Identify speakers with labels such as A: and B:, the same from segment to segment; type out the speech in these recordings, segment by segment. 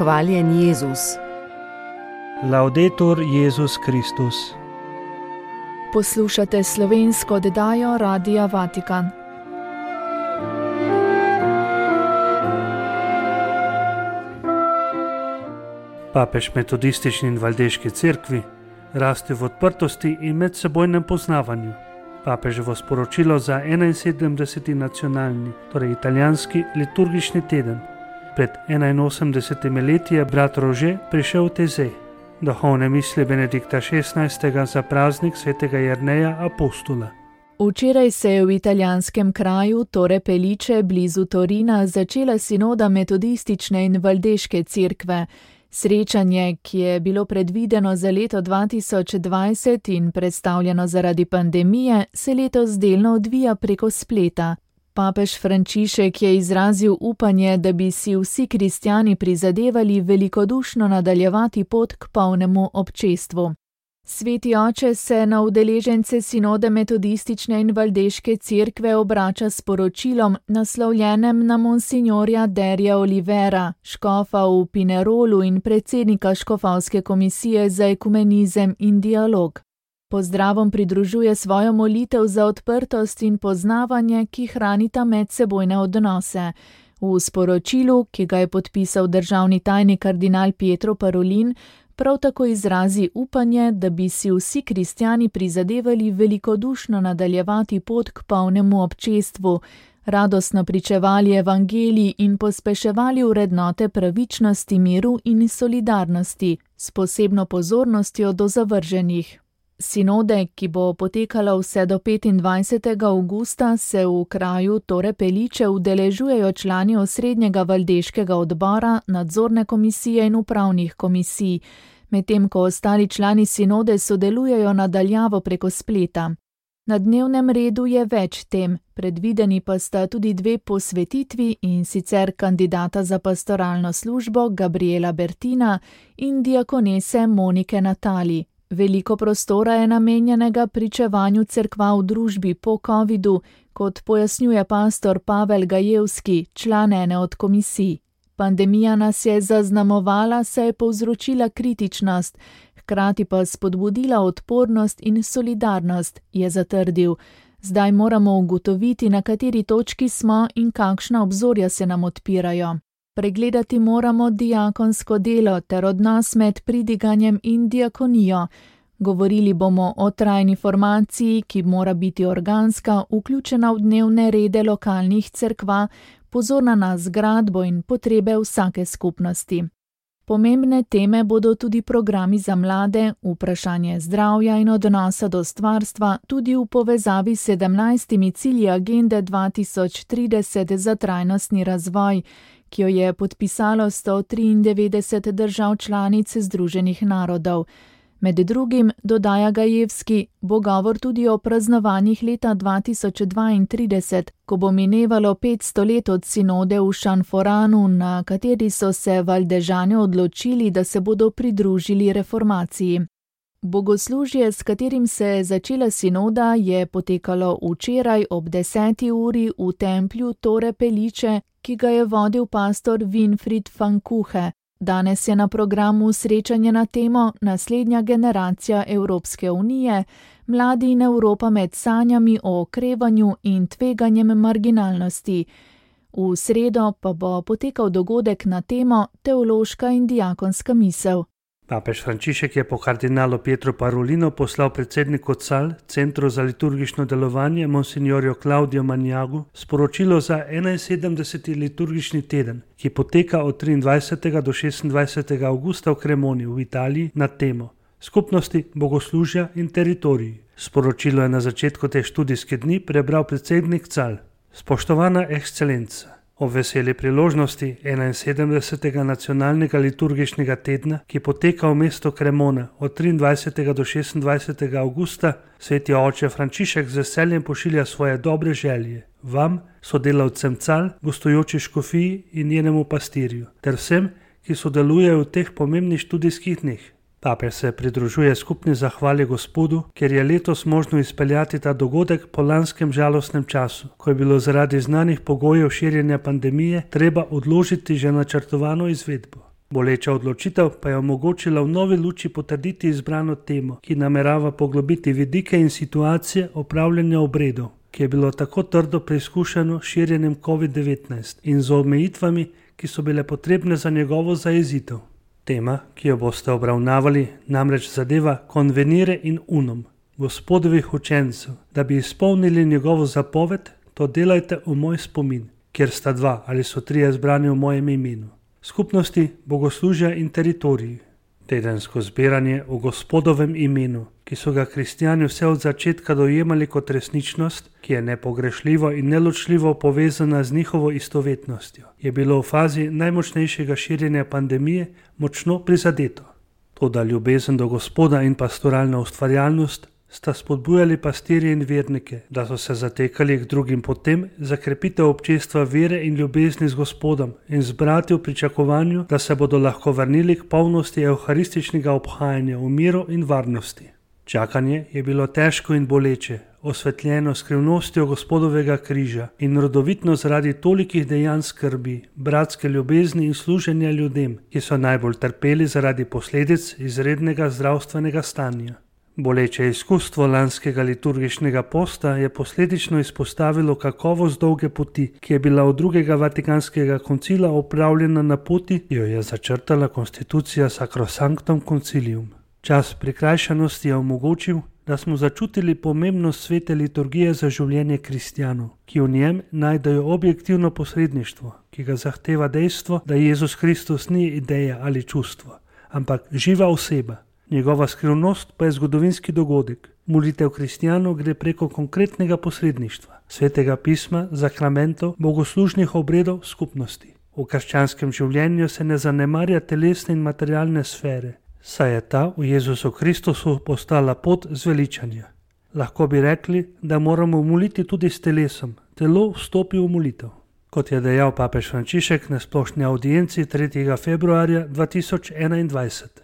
A: Hvaljen Jezus.
B: Laudetur Jezus Kristus.
C: Poslušate slovensko oddajo Radia Vatikan.
B: Papež metodistični in valdeški cerkvi raste v odprtosti in medsebojnem poznavanju. Papeževo sporočilo za 71. nacionalni, torej italijanski liturgični teden. Pred 81 leti je brat Rože prišel v Tezej, duhovne misli Benedikta XVI. Za praznik svetega Jerneja apostola.
C: Včeraj se je v italijanskem kraju Torre Pellice blizu Torina začela sinoda metodistične in valdeške cerkve. Srečanje, ki je bilo predvideno za leto 2020 in predstavljeno zaradi pandemije, se letos delno odvija preko spleta. Papež Frančišek je izrazil upanje, da bi si vsi kristjani prizadevali velikodušno nadaljevati pot k polnemu občestvu. Sveti oče se na udeležence sinode metodistične in valdeške cerkve obrača s poročilom, naslovljenem na monsignorja Derja Olivera, škofa v Pinerolu in predsednika škofovske komisije za ekumenizem in dialog. Pozdravom pridružuje svojo molitev za odprtost in poznavanje, ki hranita medsebojne odnose. V sporočilu, ki ga je podpisal državni tajnik kardinal Pietro Parolin, prav tako izrazi upanje, da bi si vsi kristjani prizadevali velikodušno nadaljevati pot k polnemu občestvu, radostno pričevali evangeliji in pospeševali vrednote pravičnosti, miru in solidarnosti, s posebno pozornostjo do zavrženih. Sinode, ki bo potekala vse do 25. avgusta, se v kraju Torre Pellice udeležujejo člani osrednjega valdeškega odbora, nadzorne komisije in upravnih komisij, medtem ko ostali člani sinode sodelujejo nadaljavo preko spleta. Na dnevnem redu je več tem, predvideni pa sta tudi 2 posvetitvi, in sicer kandidata za pastoralno službo Gabriela Bertina in diakonese Monike Natali. Veliko prostora je namenjenega pričevanju cerkva v družbi po covidu, kot pojasnjuje pastor Pavel Gajevski, član ene od komisij. Pandemija nas je zaznamovala, saj je povzročila kritičnost, hkrati pa spodbudila odpornost in solidarnost, je zatrdil. Zdaj moramo ugotoviti, na kateri točki smo in kakšna obzorja se nam odpirajo. Pregledati moramo diakonsko delo ter odnos med pridiganjem in diakonijo. Govorili bomo o trajni formaciji, ki mora biti organska, vključena v dnevne rede lokalnih cerkva, pozorna na zgradbo in potrebe vsake skupnosti. Pomembne teme bodo tudi programi za mlade, vprašanje zdravja in odnosa do stvarstva, tudi v povezavi s 17 cilji agende 2030 za trajnostni razvoj, ki jo je podpisalo 193 držav članic Združenih narodov. Med drugim, dodaja Gajevski, bo govor tudi o praznovanjih leta 2032, ko bo minevalo 500 let od sinode v Šanforanu, na kateri so se valdežani odločili, da se bodo pridružili reformaciji. Bogoslužje, s katerim se je začela sinoda, je potekalo včeraj ob 10. uri v templju Torre Pellice, ki ga je vodil pastor Winfried van Kuhe. Danes je na programu srečanje na temo Naslednja generacija Evropske unije, mladi in Evropa med sanjami o okrevanju in tveganjem marginalnosti. V sredo pa bo potekal dogodek na temo Teološka in diakonska misel.
B: Papež Frančišek je po kardinalu Pietro Parolinu poslal predsedniku CAL, Centru za liturgično delovanje, monsignorju Claudio Magnagu, sporočilo za 71. liturgični teden, ki poteka od 23. do 26. avgusta v Cremoni v Italiji na temo Skupnosti, bogoslužja in teritoriji. Sporočilo je na začetku te študijske dni prebral predsednik CAL. Spoštovana ekscelenca, ob veseli priložnosti 71. nacionalnega liturgičnega tedna, ki poteka v mestu Cremona od 23. do 26. avgusta, sveti oče Frančišek z veseljem pošilja svoje dobre želje vam, sodelavcem CAL, gostujoči škofiji in njenemu pastirju, ter vsem, ki sodelujejo v teh pomembnih študijskih dneh. Papež se pridružuje skupni zahvali Gospodu, ker je letos možno izpeljati ta dogodek po lanskem žalostnem času, ko je bilo zaradi znanih pogojev širjenja pandemije treba odložiti že načrtovano izvedbo. Boleča odločitev pa je omogočila v novi luči potrditi izbrano temo, ki namerava poglobiti vidike in situacije opravljanja obredov, ki je bilo tako trdo preizkušeno širjenjem COVID-19 in z omejitvami, ki so bile potrebne za njegovo zajezitev. Tema, ki jo boste obravnavali, namreč zadeva konvenire in unum, Gospodovih učencev, da bi izpolnili njegovo zapoved, to delajte v moj spomin, kjer sta dva ali so trije zbrani v mojem imenu. Skupnosti, bogoslužja in teritoriji. Tedensko zbiranje v Gospodovem imenu, ki so ga kristjani vse od začetka dojemali kot resničnost, ki je nepogrešljivo in neločljivo povezana z njihovo istovetnostjo, je bilo v fazi najmočnejšega širjenja pandemije močno prizadeto. Toda ljubezen do Gospoda in pastoralna ustvarjalnost sta spodbujali pastirje in vernike, da so se zatekali k drugim potem za krepitev občestva vere in ljubezni z Gospodom in zbrati v pričakovanju, da se bodo lahko vrnili k polnosti evharističnega obhajanja v miru in varnosti. Čakanje je bilo težko in boleče, osvetljeno skrivnostjo Gospodovega križa in rodovitno zaradi tolikih dejanj skrbi, bratske ljubezni in služenja ljudem, ki so najbolj trpeli zaradi posledic izrednega zdravstvenega stanja. Boleče izkustvo lanskega liturgičnega posta je posledično izpostavilo kakovost dolge poti, ki je bila od drugega Vatikanskega koncila opravljena na poti, ki jo je začrtala konstitucija Sacrosanctum Concilium. Čas prikrajšanosti je omogočil, da smo začutili pomembnost svete liturgije za življenje kristjanov, ki v njem najdejo objektivno posredništvo, ki ga zahteva dejstvo, da Jezus Kristus ni ideja ali čustvo, ampak živa oseba. Njegova skrivnost pa je zgodovinski dogodek. Molitev kristjanov gre preko konkretnega posredništva, svetega pisma, sakramentov, bogoslužnih obredov, skupnosti. V krščanskem življenju se ne zanemarja telesne in materialne sfere, saj je ta v Jezusu Kristusu postala pot zveličanja. Lahko bi rekli, da moramo moliti tudi s telesom, telo vstopi v molitev. Kot je dejal papež Frančišek na splošni audienci 3. februarja 2021.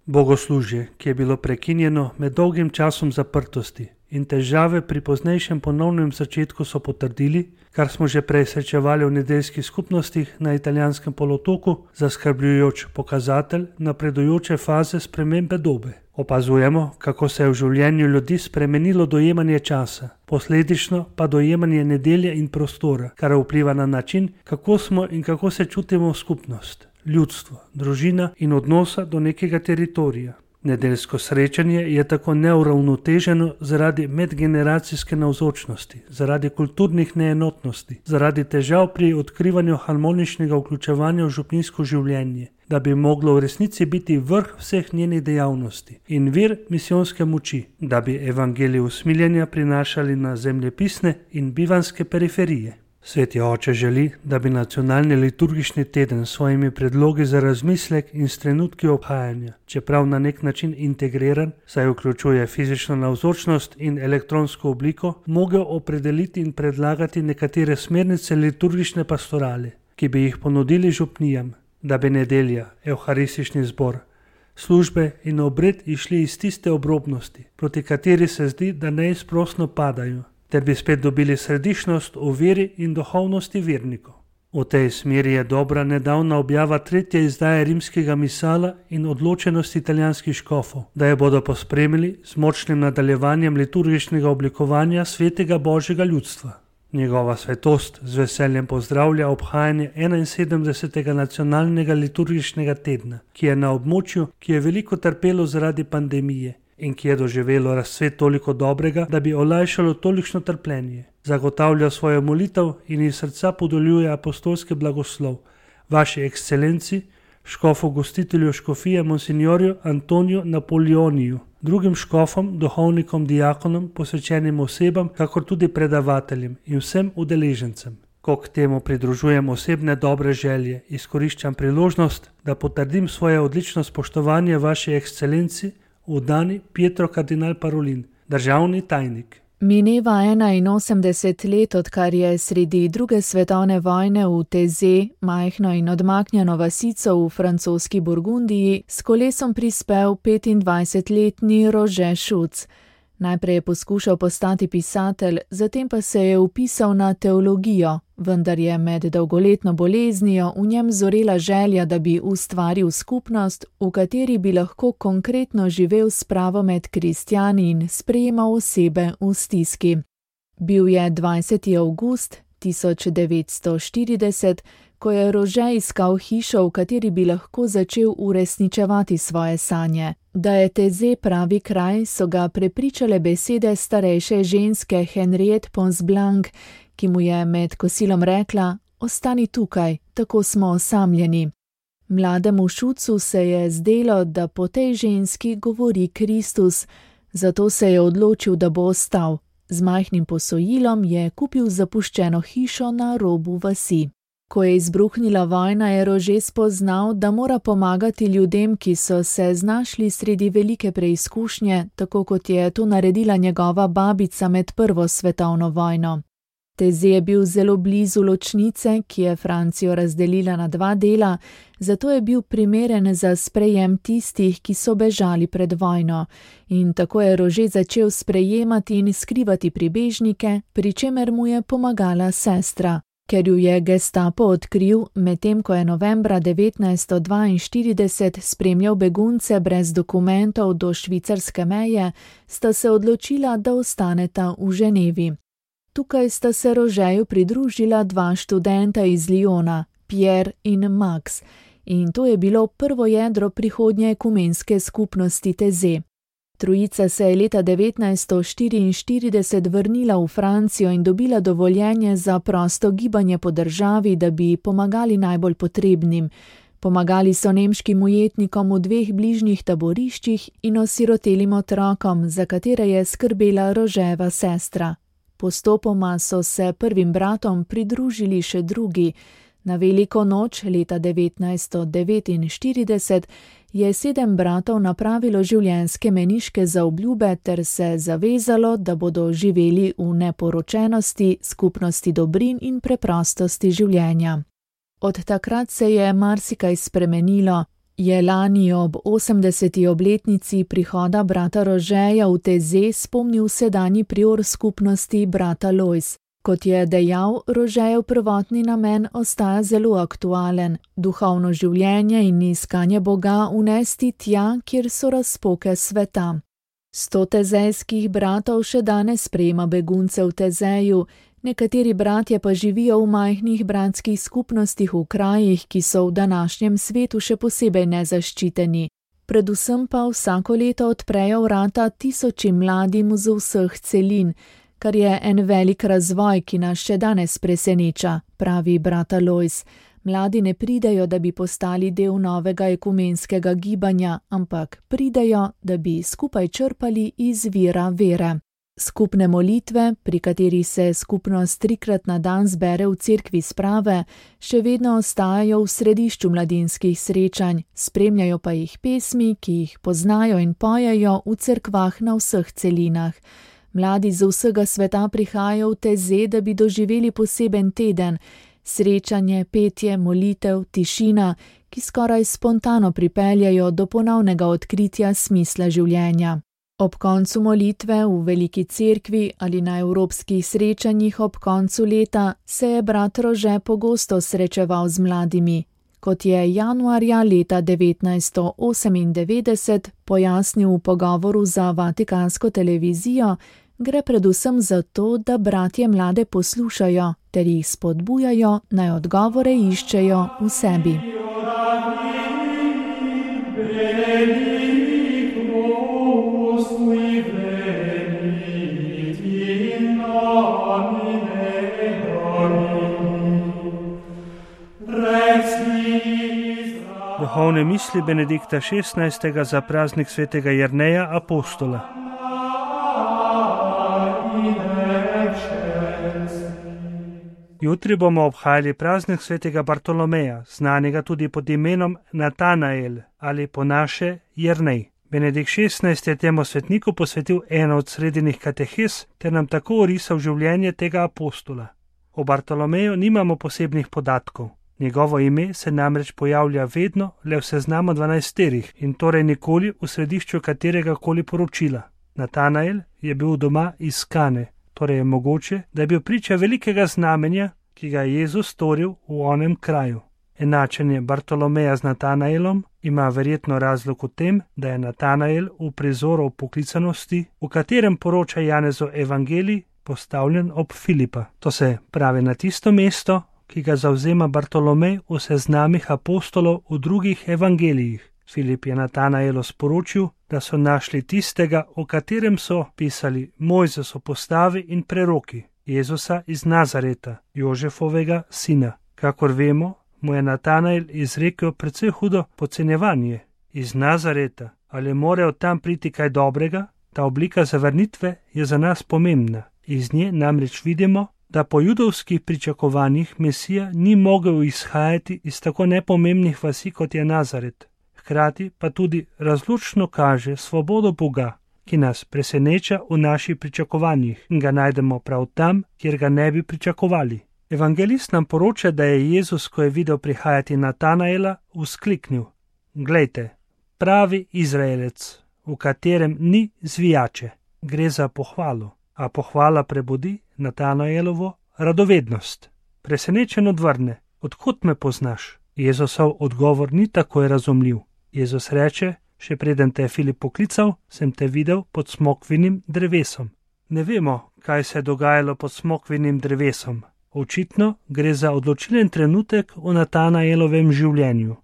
B: Bogoslužje, ki je bilo prekinjeno med dolgim časom zaprtosti in težave pri poznejšem ponovnem začetku so potrdili, kar smo že prej srečevali v nedeljskih skupnostih na italijanskem polotoku, zaskrbljujoč pokazatelj napredujoče faze spremembe dobe. Opazujemo, kako se je v življenju ljudi spremenilo dojemanje časa, posledično pa dojemanje nedelje in prostora, kar vpliva na način, kako smo in kako se čutimo v skupnost, ljudstvo, družina in odnosa do nekega teritorija. Nedeljsko srečanje je tako neuravnoteženo zaradi medgeneracijske navzočnosti, zaradi kulturnih neenotnosti, zaradi težav pri odkrivanju harmoničnega vključevanja v župnijsko življenje, da bi moglo v resnici biti vrh vseh njenih dejavnosti in vir misijonske moči, da bi evangelij usmiljenja prinašali na zemljepisne in bivanske periferije. Sveti oče želi, da bi nacionalni liturgični teden s svojimi predlogi za razmislek in s trenutki obhajanja, čeprav na nek način integriran, saj vključuje fizično navzočnost in elektronsko obliko, mogel opredeliti in predlagati nekatere smernice liturgične pastorale, ki bi jih ponudili župnijam, da bi nedelja, evharistični zbor, službe in obred išli iz tiste obrobnosti, proti kateri se zdi, da neizprosno padajo, ter bi spet dobili središčnost v veri in duhovnosti vernikov. V tej smeri je dobra nedavna objava 3. izdaje rimskega misala in odločenost italijanskih škofov, da jo bodo pospremili z močnim nadaljevanjem liturgičnega oblikovanja svetega Božjega ljudstva. Njegova svetost z veseljem pozdravlja obhajanje 71. nacionalnega liturgičnega tedna, ki je na območju, ki je veliko trpelo zaradi pandemije in ki je doživelo razcvet toliko dobrega, da bi olajšalo tolikšno trpljenje. Zagotavlja svojo molitev in iz srca podeljuje apostolski blagoslov vaši ekscelenci, škofu gostitelju škofije monsignorju Antoniju Napoleoniju, drugim škofom, duhovnikom, diakonom, posvečenim osebam, kakor tudi predavateljem in vsem udeležencem. Ko k temu pridružujem osebne dobre želje, izkoriščam priložnost, da potrdim svoje odlično spoštovanje vaši ekscelenci v dani Pietro kardinal Parolin, državni tajnik.
C: Mineva 81 let, odkar je sredi druge svetovne vojne v Teze, majhno in odmaknjeno vasico v francoski Burgundiji, s kolesom prispel 25-letni Roger Schuc. Najprej je poskušal postati pisatelj, zatem pa se je vpisal na teologijo, vendar je med dolgoletno boleznijo v njem zorela želja, da bi ustvaril skupnost, v kateri bi lahko konkretno živel spravo med kristjani in sprejemal osebe v stiski. Bil je 20. avgust 1940, ko je Rože iskal hišo, v kateri bi lahko začel uresničevati svoje sanje. Da je Taizé pravi kraj, so ga prepričale besede starejše ženske Henriette Ponsblanc, ki mu je med kosilom rekla: "Ostani tukaj, tako smo osamljeni." Mlademu Šucu se je zdelo, da po tej ženski govori Kristus, zato se je odločil, da bo ostal. Z majhnim posojilom je kupil zapuščeno hišo na robu vasi. Ko je izbruhnila vojna, je Rože spoznal, da mora pomagati ljudem, ki so se znašli sredi velike preizkušnje, tako kot je to naredila njegova babica med Prvo svetovno vojno. Taizé je bil zelo blizu ločnice, ki je Francijo razdelila na dva dela, zato je bil primeren za sprejem tistih, ki so bežali pred vojno. In tako je Rože začel sprejemati in skrivati pribežnike, pri čemer mu je pomagala sestra. Ker ju je Gestapo odkril, medtem ko je novembra 1942 spremljal begunce brez dokumentov do švicarske meje, sta se odločila, da ostaneta v Ženevi. Tukaj sta se Rožeju pridružila dva študenta iz Lyona, Pierre in Max, in to je bilo prvo jedro prihodnje ekumenske skupnosti Taizé. Trojica se je leta 1944 vrnila v Francijo in dobila dovoljenje za prosto gibanje po državi, da bi pomagali najbolj potrebnim. Pomagali so nemškim ujetnikom v dveh bližnjih taboriščih in osirotelim otrokom, za katere je skrbela Roževa sestra. Postopoma so se prvim bratom pridružili še drugi. Na veliko noč leta 1949 je 7 bratov napravilo življenjske meniške zaobljube ter se zavezalo, da bodo živeli v neporočenosti, skupnosti dobrin in preprostosti življenja. Od takrat se je marsikaj spremenilo. Je lani ob 80. obletnici prihoda brata Rožeja v Taizé spomnil sedanji prior skupnosti brata Lois. Kot je dejal, Rožejev prvotni namen ostaja zelo aktualen, duhovno življenje in iskanje Boga unesti tja, kjer so razpoke sveta. 100 taizejskih bratov še danes sprejema begunce v Taizéju, nekateri bratje pa živijo v majhnih bratskih skupnostih v krajih, ki so v današnjem svetu še posebej nezaščiteni. Predvsem pa vsako leto odprejo vrata tisočim mladim z vseh celin, kar je en velik razvoj, ki nas še danes preseneča, pravi brata Lois. Mladi ne pridejo, da bi postali del novega ekumenskega gibanja, ampak pridejo, da bi skupaj črpali iz vira vere. Skupne molitve, pri kateri se skupnost 3-krat na dan zbere v cerkvi sprave, še vedno ostajajo v središču mladinskih srečanj, spremljajo pa jih pesmi, ki jih poznajo in pojejo v cerkvah na vseh celinah. Mladi z vsega sveta prihajajo v Taizé, da bi doživeli poseben teden, srečanje, petje, molitev, tišina, ki skoraj spontano pripeljajo do ponovnega odkritja smisla življenja. Ob koncu molitve v veliki cerkvi ali na evropskih srečanjih ob koncu leta se je brat Rože pogosto srečeval z mladimi. Kot je januarja leta 1998 pojasnil v pogovoru za Vatikansko televizijo, gre predvsem za to, da bratje mlade poslušajo ter jih spodbujajo, naj odgovore iščejo v sebi.
B: Duhovne misli Benedikta XVI. Za praznik svetega Jerneja apostola. Jutri bomo obhajali praznik svetega Bartolomeja, znanega tudi pod imenom Natanael ali po naše Jernej. Benedikt XVI. Je temu svetniku posvetil eno od sredinih katehes ter nam tako orisal življenje tega apostola. O Bartolomeju nimamo posebnih podatkov. Njegovo ime se namreč pojavlja vedno le v seznamu 12 in torej nikoli v središču katerega koli poročila. Natanael je bil doma iz Kane, torej je mogoče, da je bil priča velikega znamenja, ki ga je Jezus storil v onem kraju. Enačenje Bartolomeja z Natanaelom ima verjetno razlog v tem, da je Natanael v prizoru poklicanosti, v katerem poroča Janezov evangelij, postavljen ob Filipa. To se pravi na tisto mesto, ki ga zavzema Bartolomej v seznamih apostolov v drugih evangelijih. Filip je Natanaelu sporočil, da so našli tistega, o katerem so pisali Mojzes v postavi in preroki, Jezusa iz Nazareta, Jožefovega sina. Kakor vemo, mu je Natanael izrekel precej hudo podcenjevanje. Iz Nazareta, ali more od tam priti kaj dobrega? Ta oblika zavrnitve je za nas pomembna. Iz nje namreč vidimo, da po judovskih pričakovanjih Mesija ni mogel izhajati iz tako nepomembnih vasi, kot je Nazaret. Hkrati pa tudi razlučno kaže svobodo Boga, ki nas preseneča v naših pričakovanjih in ga najdemo prav tam, kjer ga ne bi pričakovali. Evangelist nam poroča, da je Jezus, ko je videl prihajati Natanaela, vzkliknil: Glejte, pravi Izraelec, v katerem ni zvijače. Gre za pohvalo, a pohvala prebudi Natanaelovo radovednost. Presenečen odvrne: Odkot me poznaš? Jezusov odgovor ni takoj razumljiv. Jezus reče: Še preden te je Filip poklical, sem te videl pod smokvinim drevesom. Ne vemo, kaj se je dogajalo pod smokvinim drevesom. Očitno gre za odločilen trenutek v Natanaelovem življenju.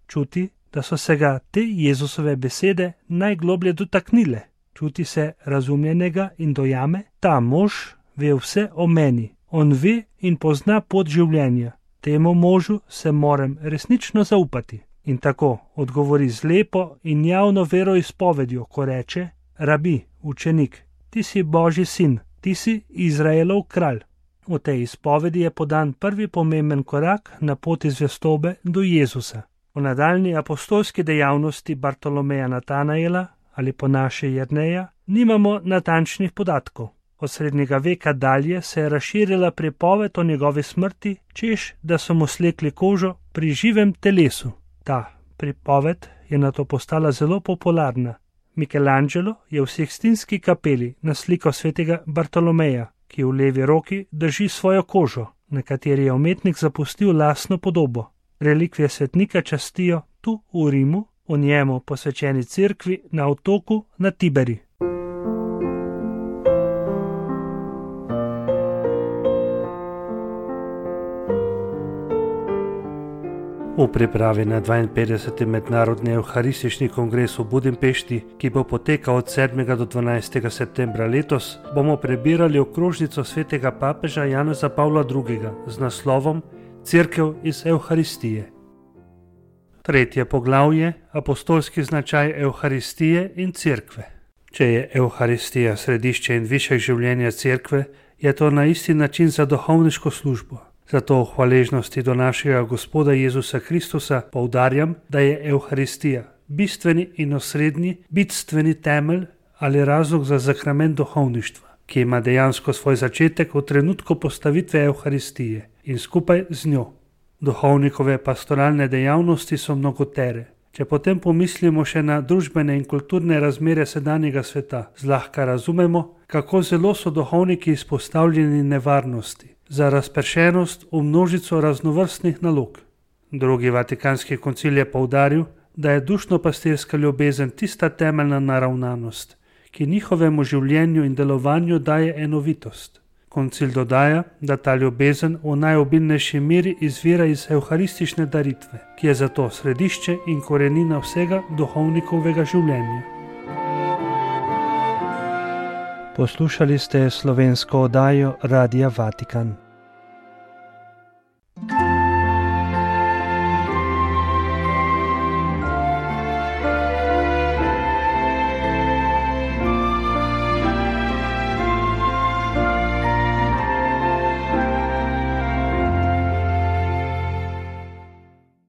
B: Čuti, da so se ga te Jezusove besede najgloblje dotaknile. Čuti se razumljenega in dojame: ta mož ve vse o meni. On ve in pozna pot življenja. Temu možu se moram resnično zaupati. In tako odgovori z lepo in javno veroizpovedjo, ko reče: Rabi, učenik, ti si Božji sin, ti si Izraelov kralj. V tej izpovedi je podan prvi pomemben korak na poti zvestobe do Jezusa. V nadaljnji apostolski dejavnosti Bartolomeja Natanaela ali po naše Jerneja nimamo natančnih podatkov. Od srednjega veka dalje se je razširila pripoved o njegovi smrti, češ da so mu slekli kožo pri živem telesu. Ta pripoved je nato postala zelo popularna. Michelangelo je v Sikstinski kapeli naslikal svetega Bartolomeja, ki v levi roki drži svojo kožo, na kateri je umetnik zapustil lastno podobo. Relikvije svetnika častijo tu v Rimu, v njemu posvečeni cerkvi na otoku na Tiberi. V pripravi na 52. mednarodni evharistični kongres v Budimpešti, ki bo potekal od 7. do 12. septembra letos, bomo prebirali okrožnico svetega papeža Janeza Pavla II. Z naslovom Cerkev iz Evharistije. Tretje poglavje: apostolski značaj Evharistije in cerkve. Če je Evharistija središče in višek življenja cerkve, je to na isti način za duhovniško službo. Zato v hvaležnosti do našega Gospoda Jezusa Kristusa poudarjam, da je Evharistija bistveni in osrednji, bitstveni temelj ali razlog za sakrament duhovništva, ki ima dejansko svoj začetek v trenutku postavitve Evharistije in skupaj z njo. Duhovnikove pastoralne dejavnosti so mnogotere. Če potem pomislimo še na družbene in kulturne razmere sedanjega sveta, zlahka razumemo, kako zelo so duhovniki izpostavljeni nevarnosti za razpršenost v množico raznovrstnih nalog. Drugi Vatikanski koncil je poudaril, da je dušno-pastirska ljubezen tista temeljna naravnanost, ki njihovemu življenju in delovanju daje enovitost. Koncil dodaja, da ta ljubezen v najobilnejši meri izvira iz evharistične daritve, ki je zato središče in korenina vsega duhovnikovega življenja. Poslušali ste slovensko oddajo Radia Vatikan.